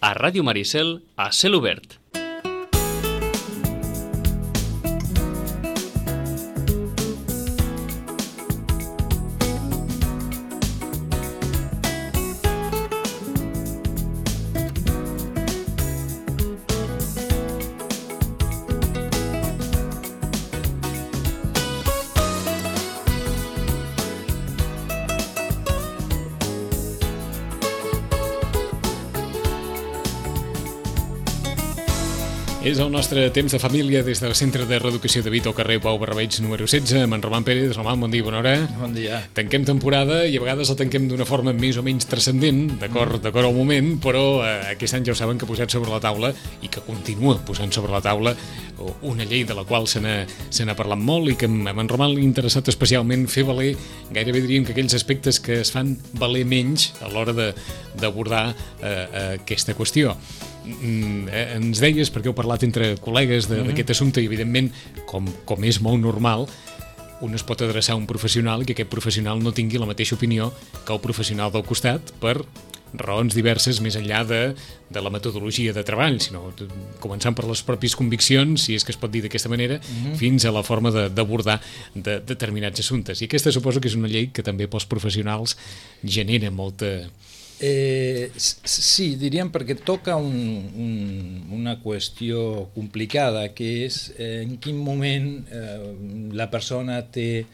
a Ràdio Maricel, a Cel Obert. És el nostre temps de família des del Centre de Reeducació de Vito, carrer Pau Barrabeig, número 16, amb en Roman Pérez. Roman, bon dia, bona hora. Bon dia. Tanquem temporada i a vegades la tanquem d'una forma més o menys transcendent, d'acord al moment, però aquest any ja ho saben que ha posat sobre la taula i que continua posant sobre la taula una llei de la qual se n'ha parlat molt i que a en Roman li ha interessat especialment fer valer, gairebé diríem que aquells aspectes que es fan valer menys a l'hora d'abordar aquesta qüestió. Ens deies, perquè heu parlat entre col·legues d'aquest assumpte i evidentment, com és molt normal, un es pot adreçar a un professional i que aquest professional no tingui la mateixa opinió que el professional del costat per raons diverses més enllà de la metodologia de treball, sinó començant per les pròpies conviccions, si és que es pot dir d'aquesta manera, fins a la forma d'abordar determinats assumptes. I aquesta suposo que és una llei que també pels professionals genera molta... Sí, diríem perquè toca una qüestió complicada, que és en quin moment la persona té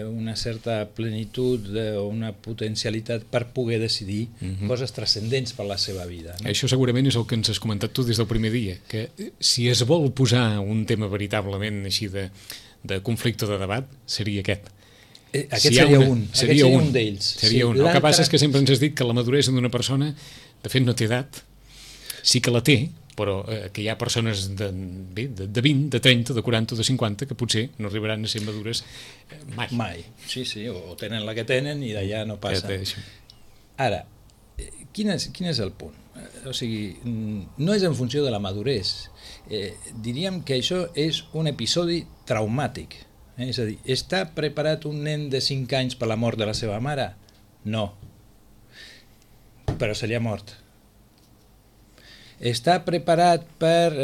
una certa plenitud o una potencialitat per poder decidir coses transcendents per la seva vida. No? Això segurament és el que ens has comentat tu des del primer dia, que si es vol posar un tema veritablement així de conflicte o de debat, seria aquest. Aquest seria un d'ells. El que passa és que sempre ens has dit que la maduresa d'una persona, de fet no té edat, sí que la té, però que hi ha persones de 20, de 30, de 40 o de 50 que potser no arribaran a ser madures mai. Sí, o tenen la que tenen i d'allà no passa. Ara, quin és el punt? O sigui, no és en funció de la maduresa. Diríem que això és un episodi traumàtic. És a dir, està preparat un nen de 5 anys per la mort de la seva mare? No. Però se li ha mort. Està preparat per...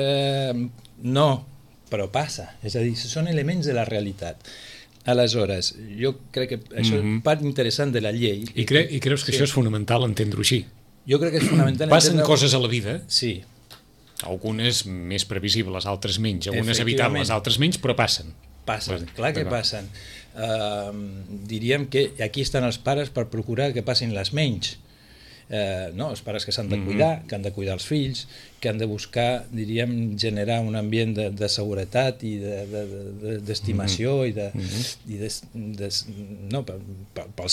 No, però passa. És a dir, són elements de la realitat. Aleshores, jo crec que això és part interessant de la llei. I creus que això és fonamental entendre-ho així? Jo crec que és fonamental entendre-ho. Passen coses a la vida. Sí. Algunes més previsibles, altres menys. Algunes evitables, altres menys, però passen. Passen, clar que passen. Diríem que aquí estan els pares per procurar que passin les menys. No? Els pares que s'han de cuidar, que han de cuidar els fills, que han de buscar, diríem, generar un ambient de seguretat i d'estimació i pel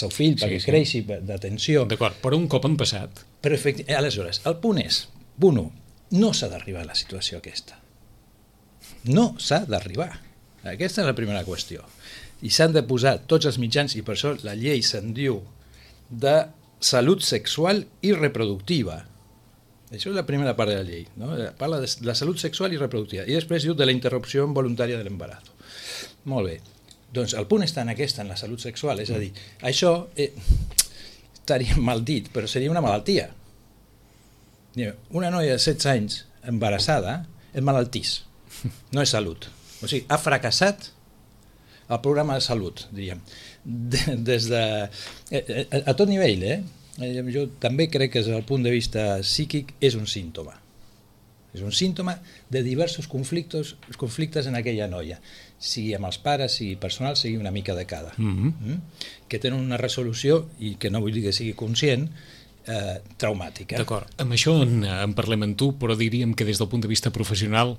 seu fill, perquè creixi, d'atenció. D'acord, però un cop han passat. Però aleshores, el punt és, punt 1, no s'ha d'arribar a la situació aquesta. No s'ha d'arribar. Aquesta és la primera qüestió. I s'han de posar tots els mitjans, i per això la llei se'n diu de salut sexual i reproductiva. Això és la primera part de la llei. No? Parla de la salut sexual i reproductiva. I després diu de la interrupció involuntària de l'embaràs. Molt bé. Doncs el punt està en la salut sexual. És a dir, això estaria mal dit, però seria una malaltia. Una noia de 16 anys embarassada és malaltís. No és salut. O sigui, ha fracassat el programa de salut, diríem, des de... a tot nivell, jo també crec que des del punt de vista psíquic és un símptoma. És un símptoma de diversos conflictes en aquella noia, sigui amb els pares, sigui personal, sigui una mica de cada, que tenen una resolució, i que no vull dir que sigui conscient, traumàtica. D'acord, amb això en parlem amb tu, però diríem que des del punt de vista professional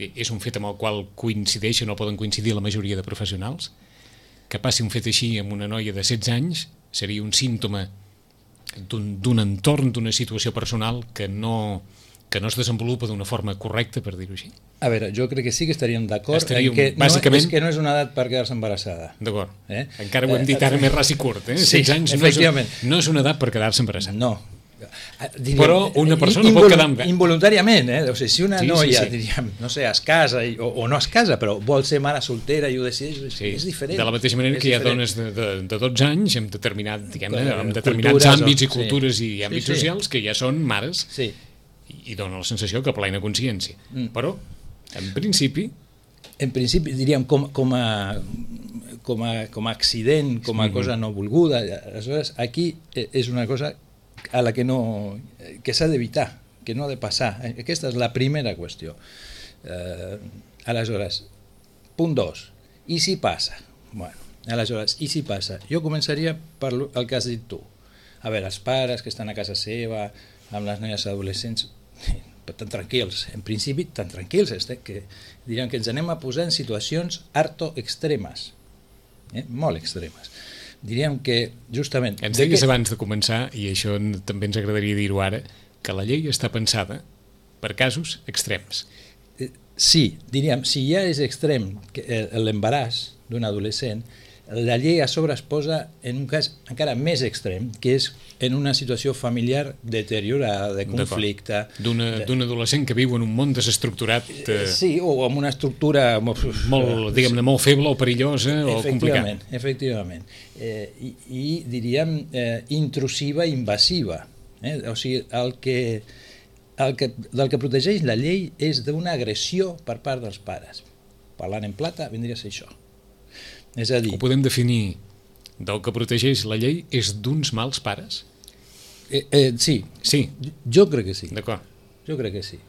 és un fet amb el qual coincideixen o poden coincidir la majoria de professionals? Que passi un fet així amb una noia de 16 anys seria un símptoma d'un entorn, d'una situació personal que no es desenvolupa d'una forma correcta, per dir-ho així? A veure, jo crec que sí que estaríem d'acord en que no és una edat per quedar-se embarassada. D'acord. Encara ho hem dit ara més ras i curt. 16 anys no és una edat per quedar-se embarassada. No. Però una persona pot quedar involuntàriament, o sigui, si una noia, diríem, no sé, es casa o no es casa, però vol ser mare soltera i ho decideix, és diferent. De la mateixa manera que hi ha dones de 12 anys amb determinats àmbits i cultures i àmbits socials que ja són mares i dona la sensació que plena consciència. Però, en principi, diríem, com a accident, com a cosa no volguda. Aleshores, aquí és una cosa a la que s'ha d'evitar, que no ha de passar. Aquesta és la primera qüestió. Aleshores, punt 2. I si passa? Bueno, aleshores, i si passa? Jo començaria per el que has dit tu. A veure, els pares que estan a casa seva, amb les noies adolescents, tan tranquils, en principi tan tranquils, que diríem que ens anem a posar en situacions harto extremes, molt extremes. Diríem que justament... Ens deies abans de començar, i això també ens agradaria dir-ho ara, que la llei està pensada per casos extrems. Sí, diríem, si ja és extrem l'embaràs d'un adolescent, la llei a sobre es posa en un cas encara més extrem, que és en una situació familiar deteriorada, de conflicte. D'un adolescent que viu en un món desestructurat. Sí, o amb una estructura molt, diguem-ne, molt feble o perillosa o complicada. Efectivament. I diríem intrusiva i invasiva. O sigui, del que protegeix la llei és d'una agressió per part dels pares. Parlant en plata, vindria a ser això. És a dir... Ho podem definir, del que protegeix la llei és d'uns mals pares? Sí. Sí? Jo crec que sí. D'acord. Jo crec que sí.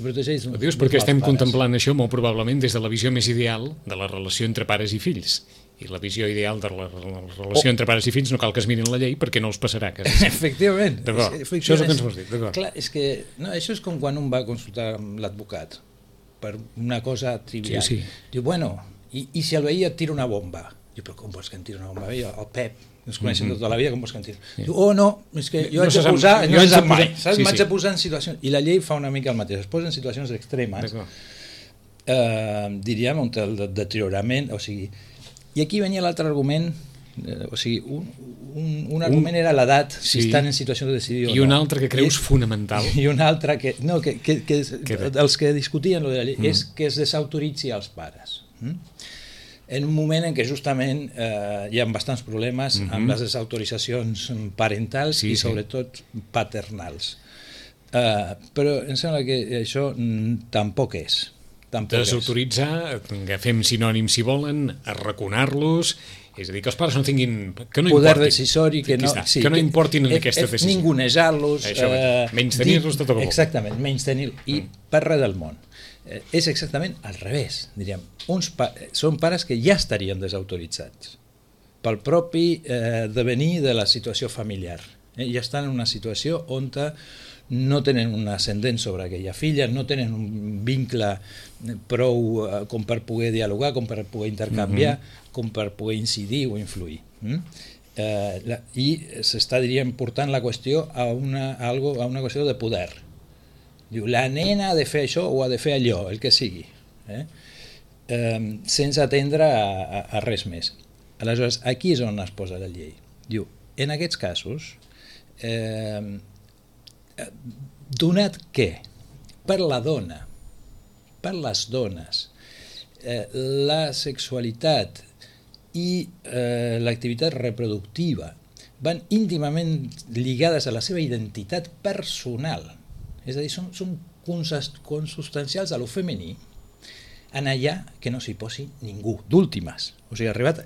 Ho dius perquè estem contemplant això molt probablement des de la visió més ideal de la relació entre pares i fills. I la visió ideal de la relació entre pares i fills no cal que es mirin la llei perquè no els passarà. Efectivament. D'acord. Això és el que ens vols dir. Clar, és que això és com quan un va consultar amb l'advocat per una cosa trivial. Sí. Diu, bueno, i si el veí et tira una bomba? Diu, però com vols que em tiri una bomba? El Pep, ens coneixem tota la vida, com vols que em tiri? Diu, no, és que jo haig de posar... No se sap mai. M'haig de posar en situacions... I la llei fa una mica el mateix, es posa en situacions extremes, diríem, on el deteriorament, o sigui... I aquí venia l'altre argument, o sigui, un argument era l'edat, si estan en situació de decidir o no. I un altre que creus fonamental. I un altre que... No, els que discutien la llei és que es desautoritzi als pares. En un moment en què justament hi ha bastants problemes amb les desautoritzacions parentals i sobretot paternals. Però em sembla que això tampoc és. Desautoritzar, agafem sinònims si volen, arraconar-los, és a dir, que els pares no tinguin... poder decisori, que no importin en aquesta decisió. Ningunejar-los... Menys-tenir-los tot el que vol. Exactament, menys-tenir-los. I per res del món. És exactament al revés, diríem. Són pares que ja estarien desautoritzats pel propi devenir de la situació familiar. Ja estan en una situació on no tenen un ascendent sobre aquella filla, no tenen un vincle prou com per poder dialogar, com per poder intercanviar, com per poder incidir o influir. I s'està, diríem, portant la qüestió a una qüestió de poder. Diu, la nena ha de fer això o ha de fer allò, el que sigui, sense atendre a res més. Aleshores, aquí és on es posa la llei. Diu, en aquests casos, donat que per la dona, per les dones, la sexualitat i l'activitat reproductiva van íntimament lligades a la seva identitat personal, és a dir, són consubstancials a lo femení, en allà que no s'hi posi ningú, d'últimes. O sigui, arribat...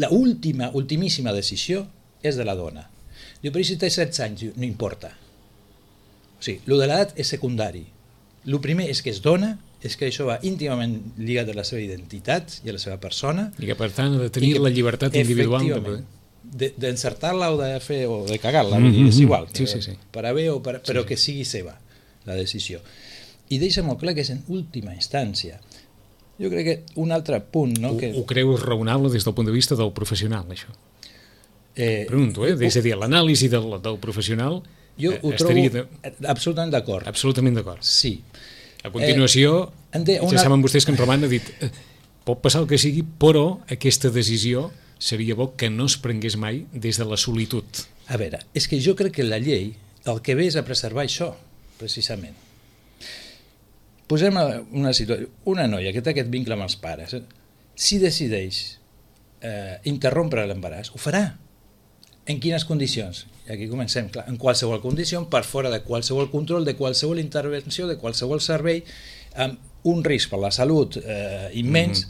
La ultimíssima decisió és de la dona. Diu, però si té 16 anys? Diu, no importa. O sigui, el de l'edat és secundari. El primer és que es dona, és que això va íntimament lligat a la seva identitat i a la seva persona. I que, per tant, ha de tenir la llibertat individual. D'encertar-la o de fer o de cagar-la, és igual. Per a bé o però que sigui seva la decisió. I deixa molt clar que és en última instància. Jo crec que un altre punt... Ho creus raonable des del punt de vista del professional, això? Pregunto, és a dir, l'anàlisi del professional... Jo ho trobo absolutament d'acord. Absolutament d'acord. Sí. A continuació, ja saben vostès que en Roman ha dit pot passar el que sigui, però aquesta decisió seria bo que no es prengués mai des de la solitud. A veure, és que jo crec que la llei el que ve és a preservar això, precisament. Posem una situació, una noia que té aquest vincle amb els pares, si decideix interrompre l'embaràs, ho farà. En quines condicions? I aquí comencem, clar, en qualsevol condició, per fora de qualsevol control, de qualsevol intervenció, de qualsevol servei, amb un risc per la salut immens,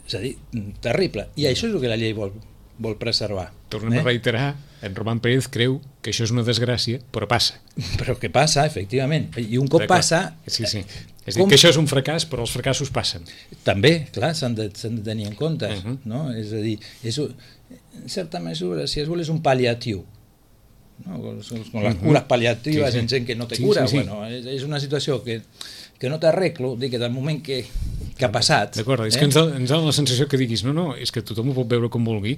és a dir, terrible. I això és el que la llei vol preservar. Tornem a reiterar, en Roman Pérez creu que això és una desgràcia, però passa. Però que passa, efectivament. I un cop passa... Sí. És a dir, que això és un fracàs, però els fracassos passen. També, clar, s'han de tenir en compte. No? És a dir, en certa mesura, si es vol, és un pal·liatiu. No? Con les cures pal·liatives en gent que no té cura. Bueno, és una situació que no t'arreglo, que del moment que ha passat... D'acord, és que ens dona la sensació que diguis no, és que tothom ho pot veure com vulgui,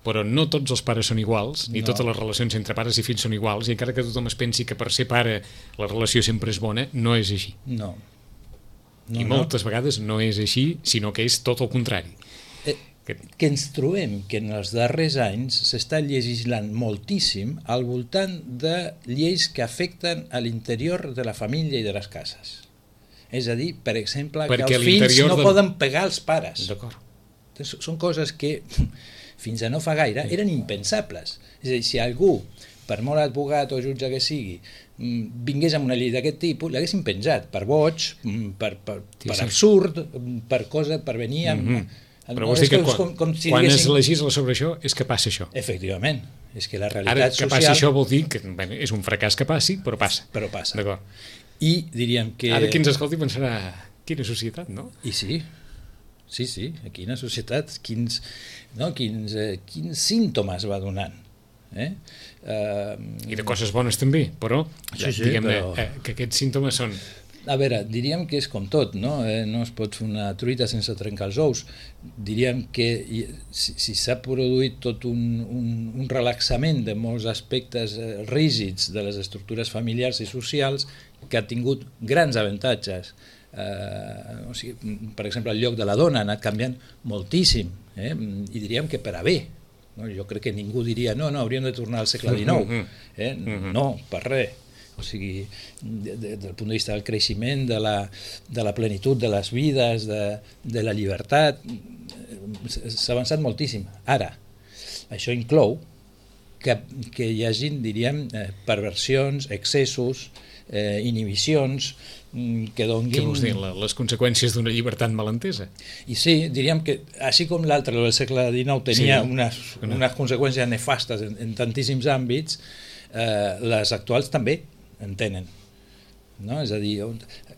però no tots els pares són iguals, ni totes les relacions entre pares i fills són iguals, i encara que tothom es pensi que per ser pare la relació sempre és bona, no és així. No. I moltes vegades no és així, sinó que és tot el contrari. Que ens trobem que en els darrers anys s'està legislant moltíssim al voltant de lleis que afecten a l'interior de la família i de les cases. És a dir, per exemple, que els fills no poden pegar els pares. D'acord. Són coses que fins a no fa gaire eren impensables. És a dir, si algú, per molt advocat o jutge que sigui, vingués amb una llei d'aquest tipus, l'haguessin penjat per boig, per absurd, per venir amb... Però vols dir que quan es legisla sobre això és que passa això. Efectivament. És que la realitat social... Ara, que passi això vol dir que és un fracàs que passi, però passa. Però passa. D'acord. I diríem que... Ara qui ens escolti pensarà, quina societat, no? I sí, quina societat, quins símptomes va donant. I de coses bones també, però diguem-ne que aquests símptomes són... A veure, diríem que és com tot, no? No es pot fer una truita sense trencar els ous. Diríem que si s'ha produït tot un relaxament de molts aspectes rígids de les estructures familiars i socials que ha tingut grans avantatges. O sigui, per exemple, el lloc de la dona ha anat canviant moltíssim, i diríem que per a bé. Jo crec que ningú diria no, hauríem de tornar al segle XIX. No, per res. O sigui, del punt de vista del creixement, de la plenitud de les vides, de la llibertat, s'ha avançat moltíssim. Ara, això inclou que hi hagi, diríem, perversions, excessos, inhibicions, que donguin... Què vols dir? Les conseqüències d'una llibertat malentesa? I sí, diríem que, així com l'altre, el segle XIX, tenia unes conseqüències nefastes en tantíssims àmbits, les actuals també en tenen. No? És a dir,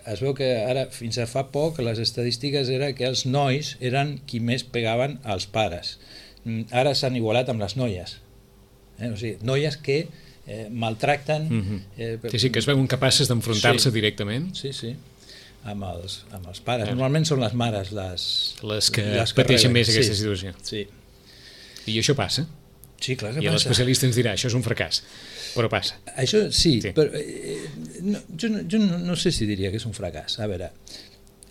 es veu que ara, fins a fa poc, les estadístiques eren que els nois eren qui més pegaven als pares. Ara s'han igualat amb les noies. O sigui, noies que maltracten... Sí, que es veuen capaces d'enfrontar-se directament. Sí, amb els pares. Normalment són les mares les que pateixen més aquesta situació. Sí. I això passa? Sí, clar que passa. I l'especialista ens dirà, això és un fracàs, però passa. Això sí. Però jo no sé si diria que és un fracàs. A veure,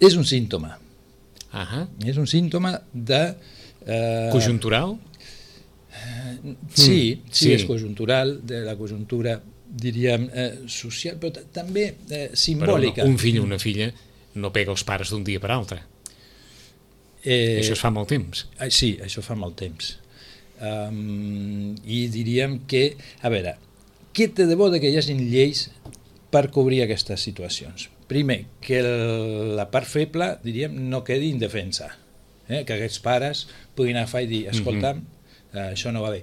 és un símptoma. És un símptoma de... Conjuntural? Sí, és conjuntural, de la conjuntura, diríem, social, però també simbòlica. Però un fill o una filla no pega els pares d'un dia per altre. Això es fa molt temps. Sí, això fa molt temps. I diríem que, a veure, què té de bo que hi hagi lleis per cobrir aquestes situacions? Primer, que la part feble, diríem, no quedi indefensa, que aquests pares puguin agafar i dir, escolta'm, això no va bé.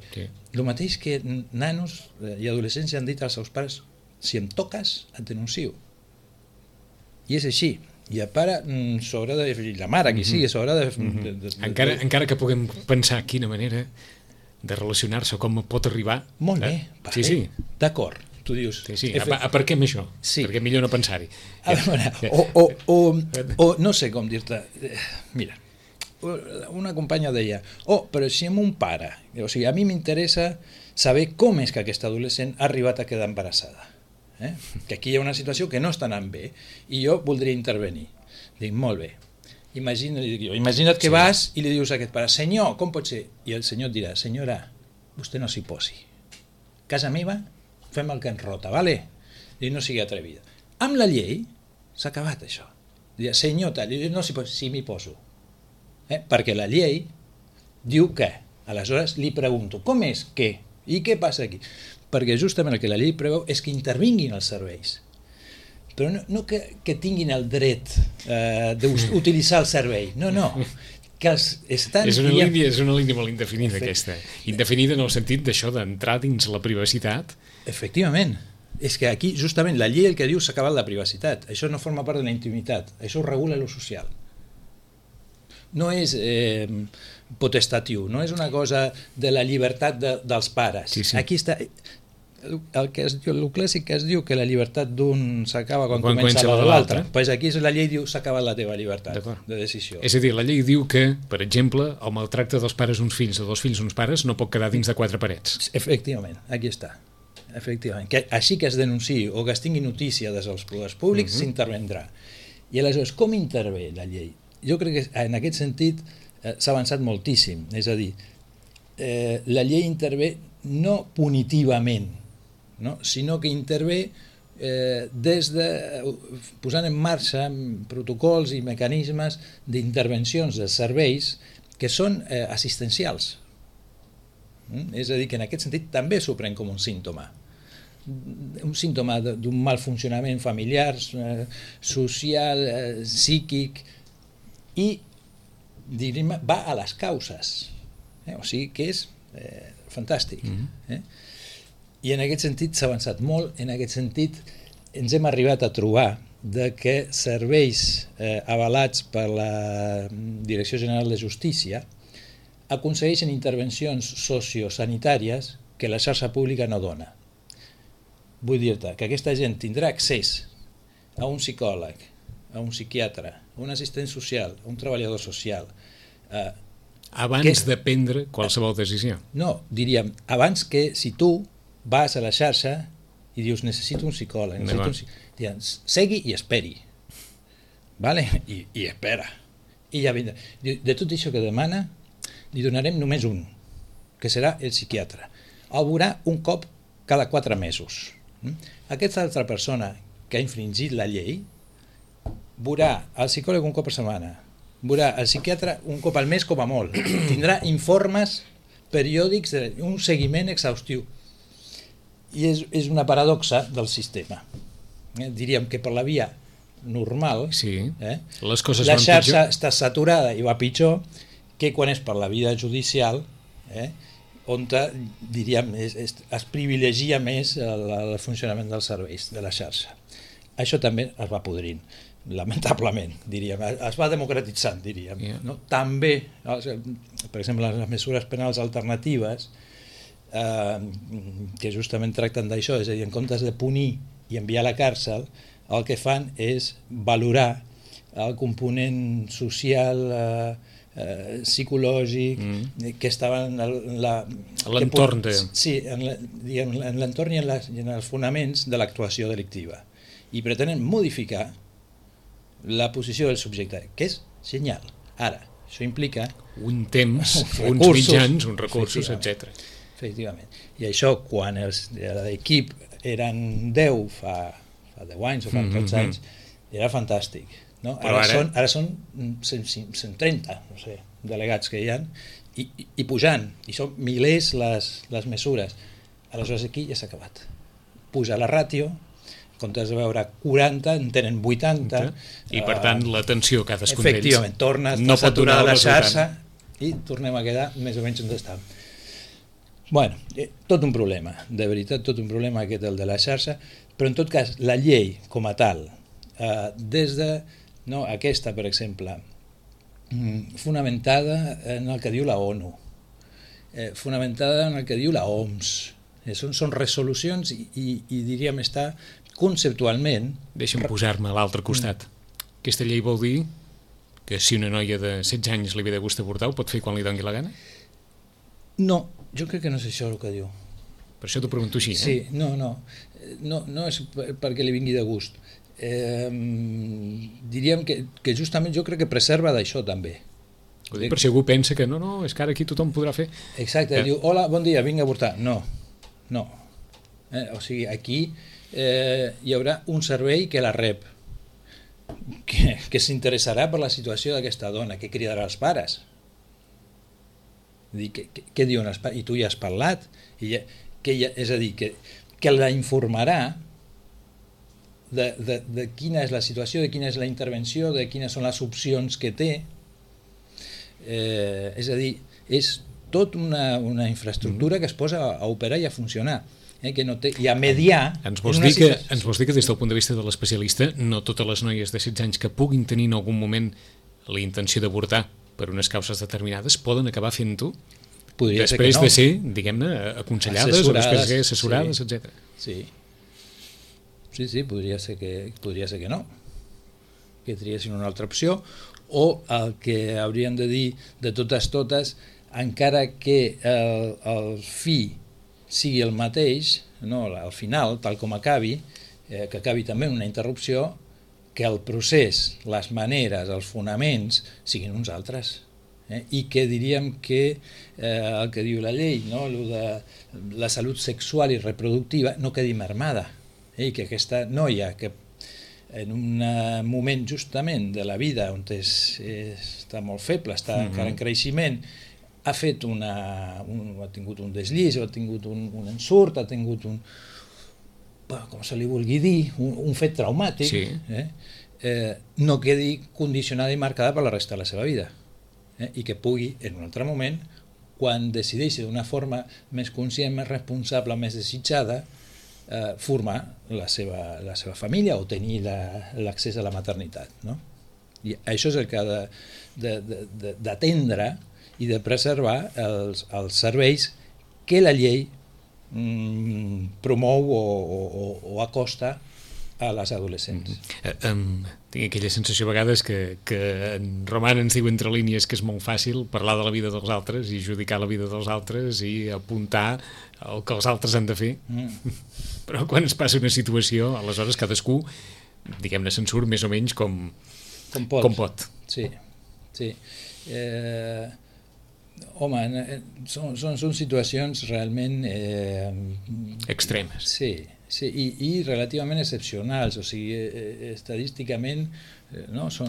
El mateix que nanos i adolescents han dit als seus pares, si em toques, et denuncio. I és així. I el pare s'haurà de... la mare, qui sigui, s'haurà de... Encara que puguem pensar quina manera de relacionar-se, com pot arribar... Molt bé, sí. D'acord, tu dius... Sí. Per què amb això? Sí. Perquè millor no pensar-hi. O no sé com dir-te... Mira, una companya deia, però si amb un pare... O sigui, a mi m'interessa saber com és que aquesta adolescent ha arribat a quedar embarassada. Que aquí hi ha una situació que no està anant bé i jo voldria intervenir. Dic, molt bé. Imagina't que vas i li dius a aquest pare, senyor, com pot ser? I el senyor et dirà, senyora, vostè no s'hi posi. Casa meva, fem el que ens rota, vale? I no sigui atrevida. Amb la llei s'ha acabat això. Dirà, senyor, tal, no s'hi posi, sí m'hi poso. Perquè la llei diu que, aleshores li pregunto, com és que? I què passa aquí? Perquè justament el que la llei preveu és que intervinguin els serveis, però no que tinguin el dret d'utilitzar el servei, no, que els estan... És una línia molt indefinida, aquesta. Indefinida en el sentit d'això, d'entrar dins la privacitat. Efectivament. És que aquí, justament, la llei el que diu s'ha acabat la privacitat. Això no forma part de la intimitat. Això ho regula lo social. No és potestatiu, no és una cosa de la llibertat dels pares. Sí. Aquí està... El clàssic que es diu que la llibertat d'un s'acaba quan comença la de l'altre, pues aquí la llei diu s'ha acabat la teva llibertat de decisió. És a dir, la llei diu que, per exemple, el maltracte dels pares uns fills o dels fills uns pares no pot quedar dins de 4 parets. Efectivament, aquí està. Efectivament. Que així que es denunciï o que es tingui notícia des dels poders públics, s'intervendrà. I aleshores, com intervé la llei? Jo crec que en aquest sentit s'ha avançat moltíssim. És a dir, la llei intervé no punitivament, no? Sinó que intervé des de posant en marxa protocols i mecanismes d'intervencions de serveis que són assistencials. És a dir, que en aquest sentit també s'ho pren com un símptoma d'un mal funcionament familiar, social, psíquic, i diríem, va a les causes, o sigui que és fantàstic. I en aquest sentit s'ha avançat molt. En aquest sentit ens hem arribat a trobar de que serveis avalats per la Direcció General de Justícia aconsegueixen intervencions sociosanitàries que la xarxa pública no dona. Vull dir-te que aquesta gent tindrà accés a un psicòleg, a un psiquiatre, a un assistent social, a un treballador social. Abans de prendre qualsevol decisió. No, diríem, abans que si tu vas a la xarxa i dius necessito un psicòleg, segui i esperi, vale? I espera, i ja vindrà. De tot això que demana li donarem només un, que serà el psiquiatre. El veurà un cop cada 4 mesos. Aquesta altra persona que ha infringit la llei veurà el psicòleg un cop per setmana, veurà el psiquiatre un cop al mes com a molt, tindrà informes periòdics, un seguiment exhaustiu. I és una paradoxa del sistema. Diríem que per la via normal les coses la xarxa està saturada i va pitjor que quan és per la via judicial, on diríem es privilegia més el funcionament dels serveis de la xarxa. Això també es va podrint, lamentablement, diríem, es va democratitzant, diríem. També, per exemple, les mesures penals alternatives, que justament tracten d'això, és a dir, en comptes de punir i enviar a la càrcel, el que fan és valorar el component social, psicològic, que estava en l'entorn en l'entorn i en els fonaments de l'actuació delictiva, i pretenen modificar la posició del subjecte, que és genial. Ara, això implica un temps, uns mitjans, uns recursos, etc. Efectivament. I això, quan l'equip eren 10 fa 10 anys o fa tots anys, era fantàstic. Ara són 130, no sé, delegats que hi ha, i pujant, i són milers les mesures. Aleshores aquí ja s'ha acabat. Puja la ràtio, en comptes de veure 40, en tenen 80. I per tant l'atenció cadascun d'ells. Efectivament, torna a estar saturada la xarxa i tornem a quedar més o menys on estàvem. Bueno, tot un problema, de veritat, tot un problema aquest el de la xarxa, però en tot cas la llei com a tal, des de aquesta, per exemple, fonamentada en el que diu la ONU, fonamentada en el que diu la OMS, són resolucions i diríem estar conceptualment... Deixa'm posar-me a l'altre costat. Aquesta llei vol dir que si una noia de 16 anys li ve de gust avortar ho pot fer quan li doni la gana? No, jo crec que no és això el que diu. Per això t'ho pregunto així, Sí, no és perquè li vingui de gust. Diríem que justament jo crec que preserva d'això també. Ho dic per si algú pensa que no, és que ara aquí tothom podrà fer. Exacte, diu, hola, bon dia, vinc a avortar. No. O sigui, aquí hi haurà un servei que la rep, que s'interessarà per la situació d'aquesta dona, que cridarà als pares. Què diuen? I tu ja has parlat, és a dir, que la informarà de quina és la situació, de quina és la intervenció, de quines són les opcions que té. És a dir, és tot una infraestructura que es posa a operar i a funcionar, que no té, i a mediar. Ens vols dir que des del punt de vista de l'especialista no totes les noies de 16 anys que puguin tenir en algun moment la intenció d'avortar per unes causes determinades poden acabar fent-ho després de ser, diguem-ne, aconsellades o després de ser assessorades, etc. Sí, podria ser que no, que triessin una altra opció, o el que haurien de dir de totes, encara que el fi sigui el mateix, no, al final, tal com acabi, que acabi també en una interrupció, que el procés, les maneres, els fonaments siguin uns altres. I que diríem que el que diu la llei, no, de la salut sexual i reproductiva, no quedi mermada, i que aquesta noia que en un moment justament de la vida on està molt feble, està encara en creixement, ha fet ha tingut un deslliç, ha tingut un ensurt, ha tingut com se li vulgui dir, un fet traumàtic, no quedi condicionada i marcada per la resta de la seva vida, i que pugui, en un altre moment, quan decideixi d'una forma més conscient, més responsable, més desitjada, formar la seva família o tenir l'accés a la maternitat, no? I això és el que ha d'atendre i de preservar els serveis que la llei promou o acosta a les adolescents. Tinc aquella sensació a vegades que en Roman ens diu entre línies que és molt fàcil parlar de la vida dels altres i judicar la vida dels altres i apuntar el que els altres han de fer. Però quan es passa una situació, aleshores cadascú, diguem-ne, se'n surt més o menys com pot. Sí. Home, són situacions realment extremes. Sí, i relativament excepcionals, o sigui, estadísticament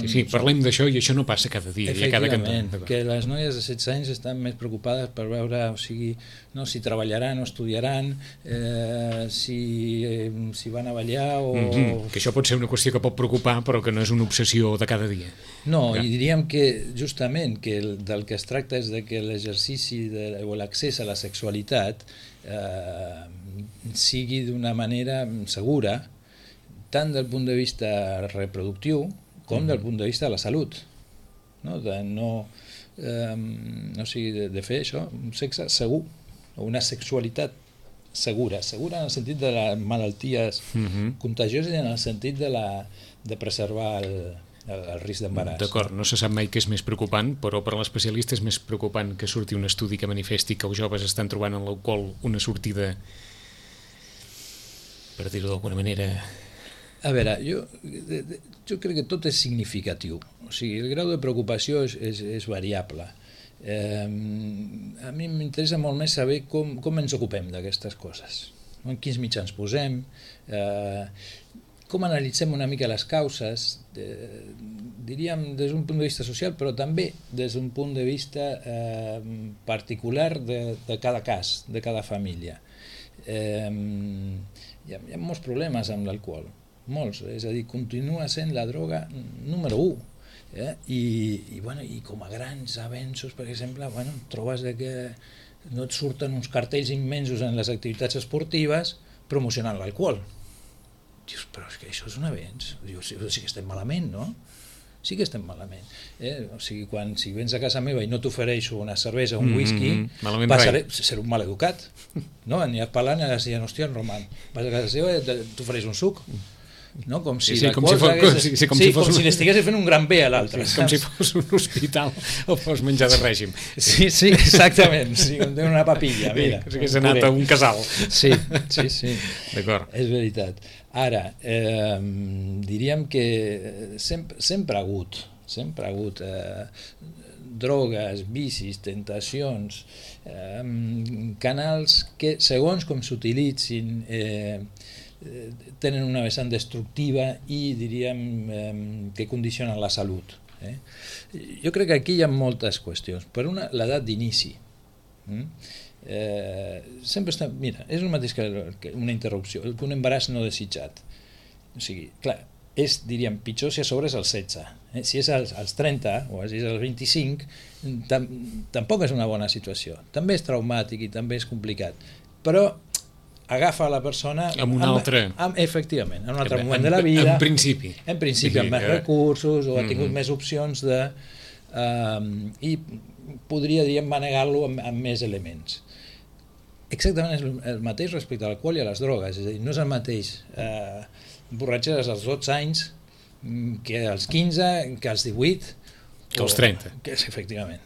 Sí, parlem d'això i això no passa cada dia. Efectivament, que les noies de 16 anys estan més preocupades per veure, o sigui, si treballaran o estudiaran, si van a ballar o... Que això pot ser una qüestió que pot preocupar, però que no és una obsessió de cada dia. No, i diríem que justament del que es tracta és de que l'exercici o l'accés a la sexualitat sigui d'una manera segura, tant del punt de vista reproductiu com del punt de vista de la salut, de fer això, un sexe segur, o una sexualitat segura en el sentit de les malalties contagioses i en el sentit de preservar el risc d'embaràs. D'acord, no se sap mai què és més preocupant, però per a l'especialista és més preocupant que surti un estudi que manifesti que els joves estan trobant en l'alcohol una sortida, per dir-ho d'alguna manera... A veure, jo crec que tot és significatiu, o sigui, el grau de preocupació és variable. A mi m'interessa molt més saber com ens ocupem d'aquestes coses, en quins mitjans posem, com analitzem una mica les causes, diríem des d'un punt de vista social, però també des d'un punt de vista particular de cada cas, de cada família. Hi ha molts problemes amb l'alcohol, molts, és a dir, continua sent la droga número 1, i com a grans avenços, per exemple, trobes que no et surten uns cartells immensos en les activitats esportives promocionant l'alcohol. Dius, però és que això és un avenç. Dius, sí que estem malament, no? Sí que estem malament. O sigui, si vens a casa meva i no t'ofereixo una cervesa o un whisky, seré un maleducat. No? Aniràs parlant i aniràs dient, hòstia, Roman, vas a casa seva i t'ofereix un suc. No? Com si l'estigués fent un gran bé a l'altre. Com si fos un hospital o fos menjar de règim. Sí, exactament. Com tenir una papilla. Mira, que s'hagués anat a un casal. Sí. D'acord. És veritat. Ara, diríem que sempre ha hagut drogues, vicis, tentacions, canals que, segons com s'utilitzin, tenen una vessant destructiva i diríem que condicionen la salut. Jo crec que aquí hi ha moltes qüestions. Per una, l'edat d'inici. Sempre està... Mira, és el mateix que una interrupció, un embaràs no desitjat. O sigui, clar, diríem, pitjor si a sobre és als 16. Si és als 30 o si és als 25, tampoc és una bona situació. També és traumàtic i també és complicat. Però agafa la persona... Amb un altre... Efectivament, en un altre moment de la vida. En principi. En principi, amb més recursos, o ha tingut més opcions de... I podria, diríem, manegar-lo amb més elements. Exactament és el mateix respecte a l'alcohol i a les drogues, és a dir, no és el mateix borratxeres als 12 anys que als 15, que als 18 que als 30. Efectivament,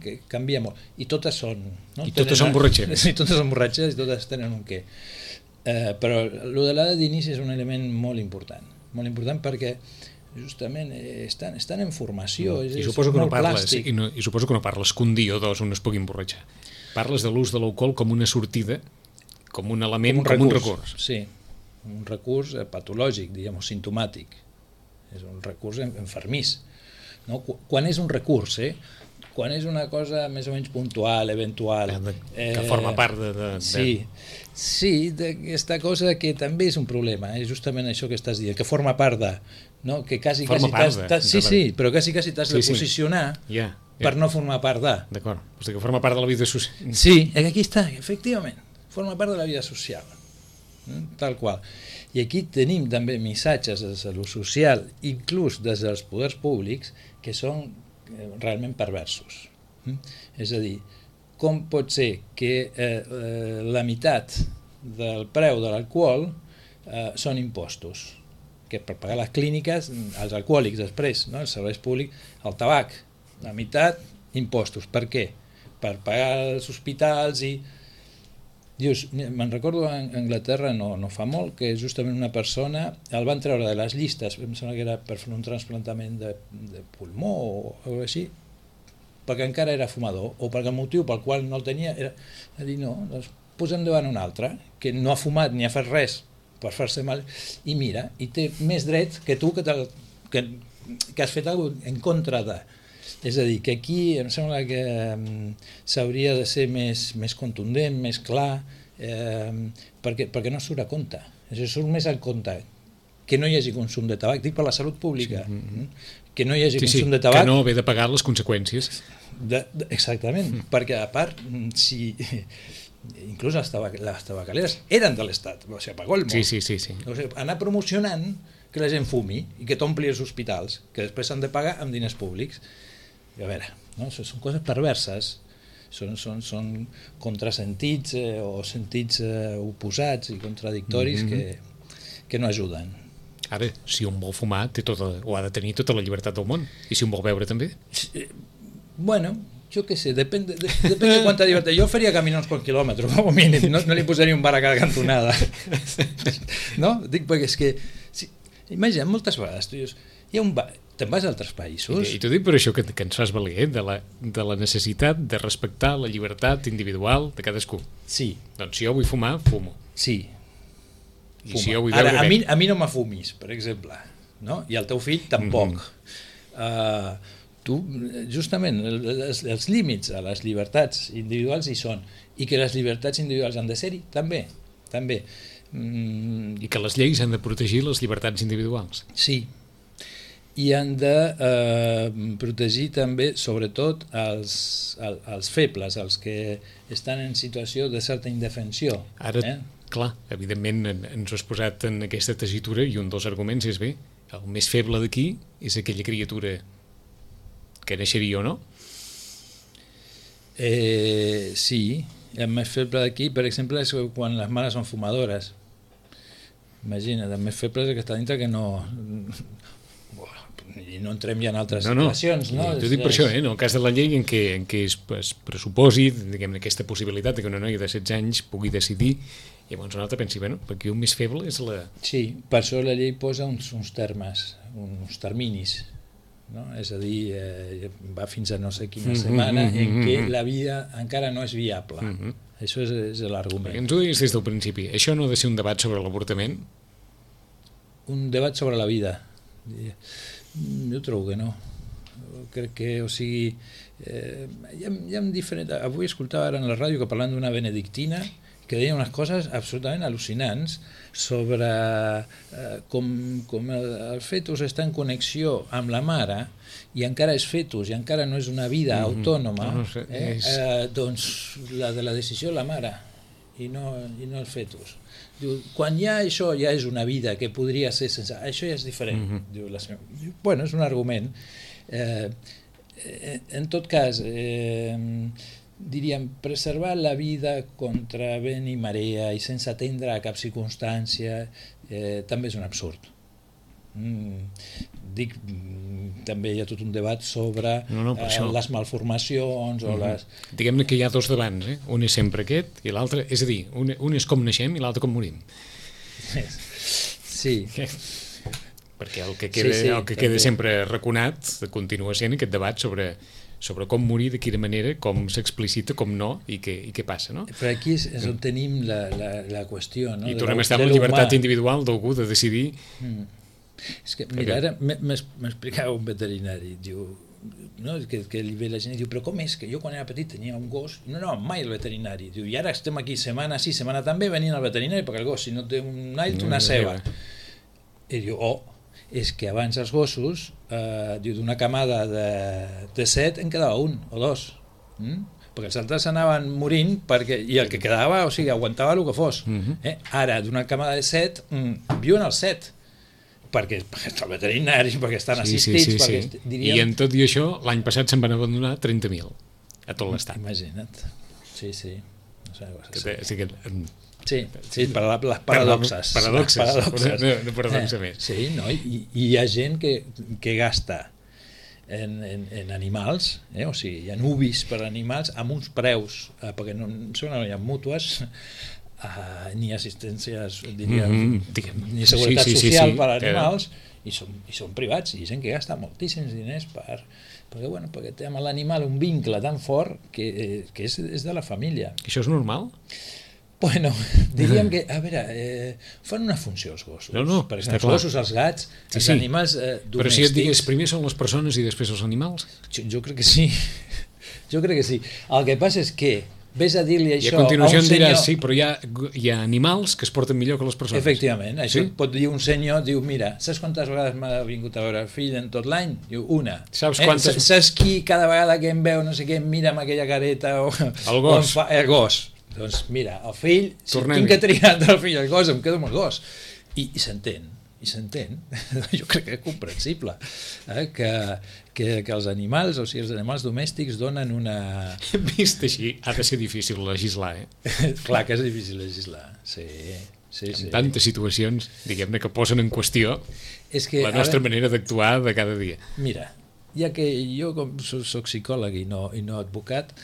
que canvia molt, i totes són i totes són borratxeres i totes són borratxeres i totes tenen un què, però el de l'edat d'inici és un element molt important perquè justament estan en formació, és molt plàstic. I suposo que no parles que un dia o dos un es pugui emborratxar. Parles de l'ús de l'alcohol com una sortida, com un element, com un recurs. Sí, un recurs patològic, diguem, o simptomàtic. És un recurs enfermís. No? Quan és un recurs, quan és una cosa més o menys puntual, eventual... Que forma part de... Sí, d'aquesta cosa que també és un problema, justament això que estàs dient, que forma part de... No? Que quasi sí, però quasi t'has de posicionar per no formar part de... D'acord, o sigui que forma part de la vida social. Sí, aquí està, efectivament, forma part de la vida social, tal qual. I aquí tenim també missatges de salut social, inclús des dels poders públics, que són realment perversos. És a dir, com pot ser que la meitat del preu de l'alcohol són impostos? Que per pagar les clíniques, els alcohòlics després, no? Els serveis públics, el tabac, la meitat, impostos. Per què? Per pagar els hospitals i... Dius, me'n recordo a Anglaterra no fa molt que justament una persona el van treure de les llistes, em sembla que era per fer un trasplantament de pulmó o alguna cosa així, perquè encara era fumador, o perquè el motiu pel qual no el tenia era dir no, doncs posem davant un altre, que no ha fumat ni ha fet res per fer-se mal, i mira, i té més dret que tu que has fet alguna cosa en contra de... És a dir, que aquí em sembla que s'hauria de ser més contundent, més clar, perquè no surt a compte. Surt més al compte que no hi hagi consum de tabac, dic per la salut pública, que no hi hagi consum de tabac... Que no haver de pagar les conseqüències. Exactament, perquè a part, si... inclús les tabacaleres eren de l'Estat, o sigui, pagó el món. Sí. O sigui, anar promocionant que la gent fumi i que t'ompli els hospitals, que després s'han de pagar amb diners públics. A veure, no? Són coses perverses, són contrasentits o sentits oposats i contradictoris que no ajuden. Ara, si un vol fumar té o ha de tenir tota la llibertat del món, i si un vol beure també? Bueno, jo què sé, depèn de quanta llibertat. Jo faria caminar uns quants quilòmetres, com a mínim, no li posaria un bar a cada cantonada. No? Dic perquè és que... Imagina, moltes vegades tu dius, hi ha un bar... Te'n vas a altres països? I t'ho dic per això que ens fas valer, de la necessitat de respectar la llibertat individual de cadascú. Sí. Doncs si jo vull fumar, fumo. Sí. I si jo vull beure... Ara, a mi no m'afumis, per exemple, no? I el teu fill tampoc. Tu, justament, els límits a les llibertats individuals hi són, i que les llibertats individuals han de ser-hi, també. I que les lleis han de protegir les llibertats individuals. Sí. I han de protegir també, sobretot, els febles, els que estan en situació de certa indefensió. Ara, clar, evidentment ens ho has posat en aquesta tessitura i un dels arguments és bé, el més feble d'aquí és aquella criatura que naixeria o no? Sí, el més feble d'aquí, per exemple, és quan les mares són fumadores. Imagina't, el més feble és el que està dintre que no... i no entrem ja en altres situacions. No? T'ho dic per això, en el cas de la llei en què es pressuposi aquesta possibilitat que una noia de 16 anys pugui decidir, i llavors un altre pensi, perquè un més feble és la... Sí, per això la llei posa uns termes, uns terminis, no? És a dir, va fins a no sé quina setmana en què la vida encara no és viable. Això és l'argument. Ens ho diguis des del principi, això no ha de ser un debat sobre l'avortament? Un debat sobre la vida. Jo trobo que no. crec que, o sigui, hi ha diferent... Avui escoltava ara en la ràdio que parlant d'una benedictina que deia unes coses absolutament al·lucinants sobre com el fetus està en connexió amb la mare i encara és fetus i encara no és una vida autònoma, doncs la de la decisió la mare i no el fetus. Diu, quan ja això ja és una vida que podria ser sense... Això ja és diferent. Diu, bueno, és un argument. En tot cas, diríem, preservar la vida contra vent i marea i sense atendre a cap circumstància també és un absurd. Dic, també hi ha tot un debat sobre les malformacions o les... Diguem-ne que hi ha dos debats, un és sempre aquest i l'altre, és a dir, un és com naixem i l'altre com morim. Sí. Perquè el que queda sempre raconat continua sent aquest debat sobre com morir, de quina manera, com s'explicita, com no, i què passa, no? Però aquí és on tenim la qüestió, no? I tornem a estar amb la llibertat individual d'algú de decidir... És que, mira, ara m'explicava un veterinari, diu, no, que li ve la gent i diu, però com és que jo quan era petit tenia un gos i no anava mai al veterinari, diu, i ara estem aquí setmana sí, setmana també venint al veterinari perquè el gos si no té un all té una ceba. I diu, és que abans els gossos, diu, d'una camada de 7 en quedava un o dos, perquè els altres anaven morint i el que quedava, o sigui, aguantava el que fos. Ara, d'una camada de 7, viuen els 7. Perquè estan veterinaris, perquè estan assistits... Sí. Diríem... I en tot i això, l'any passat se'n van abandonar 30.000 a tot l'estat. Imagina't. Sí. Sí, per les paradoxes. No paradoxa més. Sí, no? I hi ha gent que gasta en animals, o sigui, hi ha ubis per animals amb uns preus, perquè no hi ha mútues, ni assistències, diríem, ni seguretat social per als animals, i són privats, i gent que gasta moltíssims diners perquè té amb l'animal un vincle tan fort que és de la família. Això és normal? Bueno, diríem que, a veure, fan una funció els gossos. Perquè els gossos, els gats, els animals domèstics... Però si et digués, primer són les persones i després els animals? Jo crec que sí. El que passa és que ves a dir-li això a continuació a un senyor... diràs, sí, però hi ha animals que es porten millor que les persones. Efectivament, això et pot dir un senyor, diu, mira, saps quantes vegades m'ha vingut a veure el fill en tot l'any? Diu, una. Saps qui cada vegada que em veu, no sé què, em mira amb aquella careta el gos. El gos. Doncs mira, el fill, si tinc que triar entre el fill i el gos, em quedo amb el gos. I s'entén. Jo crec que és comprensible que els animals, o sigui, els animals domèstics donen una... Vist així, ha de ser difícil legislar, Clar que és difícil legislar, sí. En tantes situacions, diguem-ne, que posen en qüestió la nostra manera d'actuar de cada dia. Mira, ja que jo soc psicòleg i no advocat,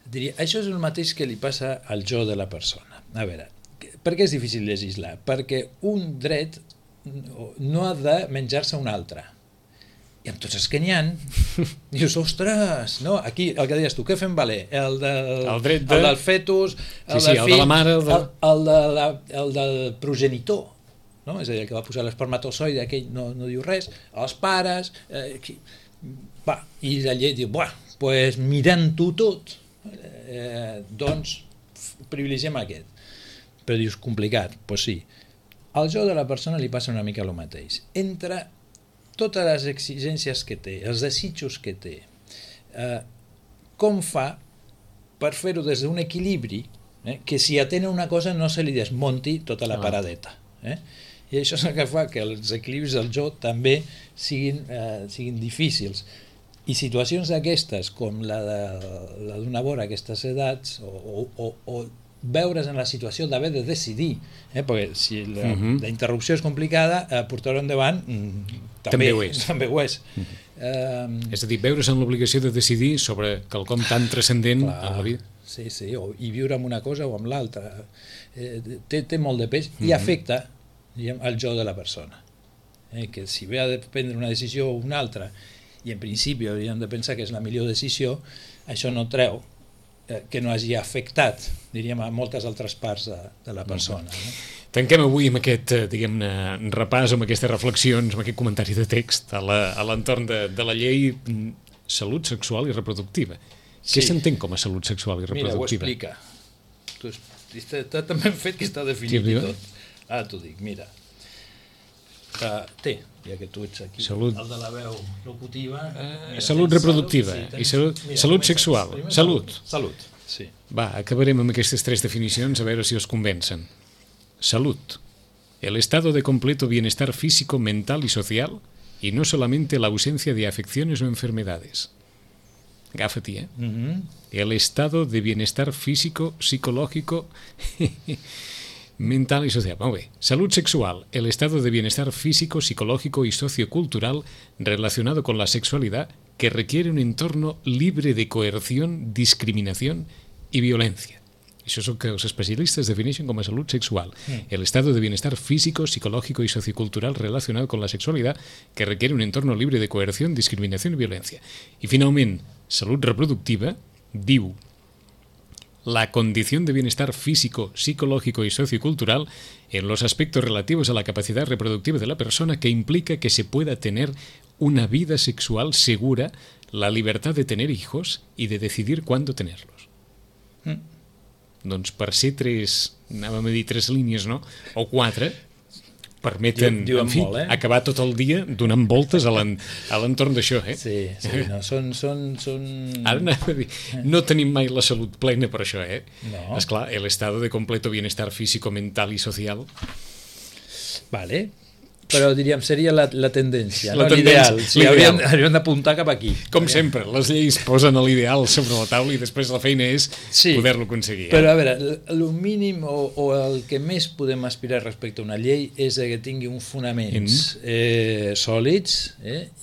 diria, això és el mateix que li passa al jo de la persona. A veure, per què és difícil legislar? Perquè un dret no ha de menjar-se un altre. I amb tots els que n'hi ha, dius, ostres, no? Aquí, el que deies tu, què fem valer? El del fetus, el del fill, el de la mare, el del progenitor, no? És a dir, el que va posar l'espermatozoide, aquell no diu res, els pares, i la llei diu, doncs mirant-ho tot, doncs privilegiem aquest. Però dius, complicat, doncs sí. Al jo de la persona li passa una mica el mateix. Entre totes les exigències que té, els desitjos que té, com fa per fer-ho des d'un equilibri que si atén una cosa no se li desmonti tota la paradeta. I això és el que fa que els equilibris del jo també siguin difícils. I situacions d'aquestes, com la d'una vora a aquestes edats, o veure's en la situació d'haver de decidir, perquè si la interrupció és complicada, portar-ho endavant també ho és. És a dir, veure's en l'obligació de decidir sobre quelcom tan transcendent en la vida. Sí, i viure amb una cosa o amb l'altra. Té molt de pes i afecta el jo de la persona. Que si ve a prendre una decisió o una altra, i en principi hauríem de pensar que és la millor decisió, això no treu que no hagi afectat, diríem, a moltes altres parts de la persona. Tanquem avui amb aquest, diguem-ne, repàs, amb aquestes reflexions, amb aquest comentari de text a l'entorn de la llei. salut sexual i reproductiva. Sí. Què s'entén com a salut sexual i Mira, ho reproductiva? explica. Està tan ben fet que està definit Sí, i tot. Ara t'ho dic, mira. Té, ja que tu ets aquí, Salut. el de la veu locutiva. Salut tens reproductiva sí, i salut comences. sexual. Primer Salut. Salut, sí. Va, acabarem amb aquestes 3 definicions a veure si os convencen. Salud. El estado de completo bienestar físico, mental y social, y no solamente la ausencia de afecciones o enfermedades. Agafa-t'hi, eh? El estado de bienestar físico, psicológico, mental y social. Molt bé. Salud sexual. El estado de bienestar físico, psicológico y sociocultural relacionado con la sexualidad que requiere un entorno libre de coerción, discriminación y violencia. Això és el que els especialistes defineixen com a salut sexual. El estado de bienestar físico, psicológico y sociocultural relacionado con la sexualidad que requiere un entorno libre de coerción, discriminación y violencia. I finalment, salut reproductiva diu la condición de bienestar físico, psicológico y sociocultural en los aspectos relativos a la capacidad reproductiva de la persona que implica que se pueda tener una vida sexual segura, la libertad de tener hijos y de decidir cuándo tenerlos. Doncs per ser 3 línies, no? O 4, permeten, Diuen en fi, molt, acabar tot el dia donant voltes a l'entorn d'això, eh? Sí, no, són... Ara anava a dir, no tenim mai la salut plena per això, eh? No. Esclar, el estado de completo bienestar físico, mental i social. Vale, però diríem seria la tendència, La no? tendència, L'ideal. Sí, l'ideal. hauríem d'apuntar cap aquí. Com sempre, les lleis posen l'ideal sobre la taula i després la feina és Sí, poder-lo aconseguir. Però a veure, el mínim o el que més podem aspirar respecte a una llei és que tingui uns fonaments sòlids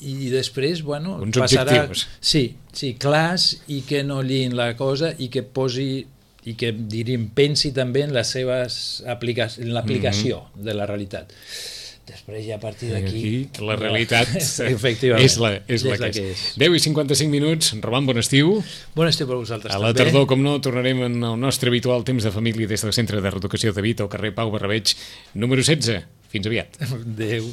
i després, bueno, Uns passarà... objectius. Sí, clars i que no lliin la cosa i que posi i que, diríem, pensi també en les seves en l'aplicació de la realitat. Després ja a partir d'aquí... Aquí la realitat efectivament, és la que és. 10 i 55 minuts, Roman, bon estiu. Bon estiu per vosaltres A també. la tardor, com no, tornarem en el nostre habitual temps de família des del Centre de Reeducació de Vita, al carrer Pau Barrabeig, número 16. Fins aviat. Adéu.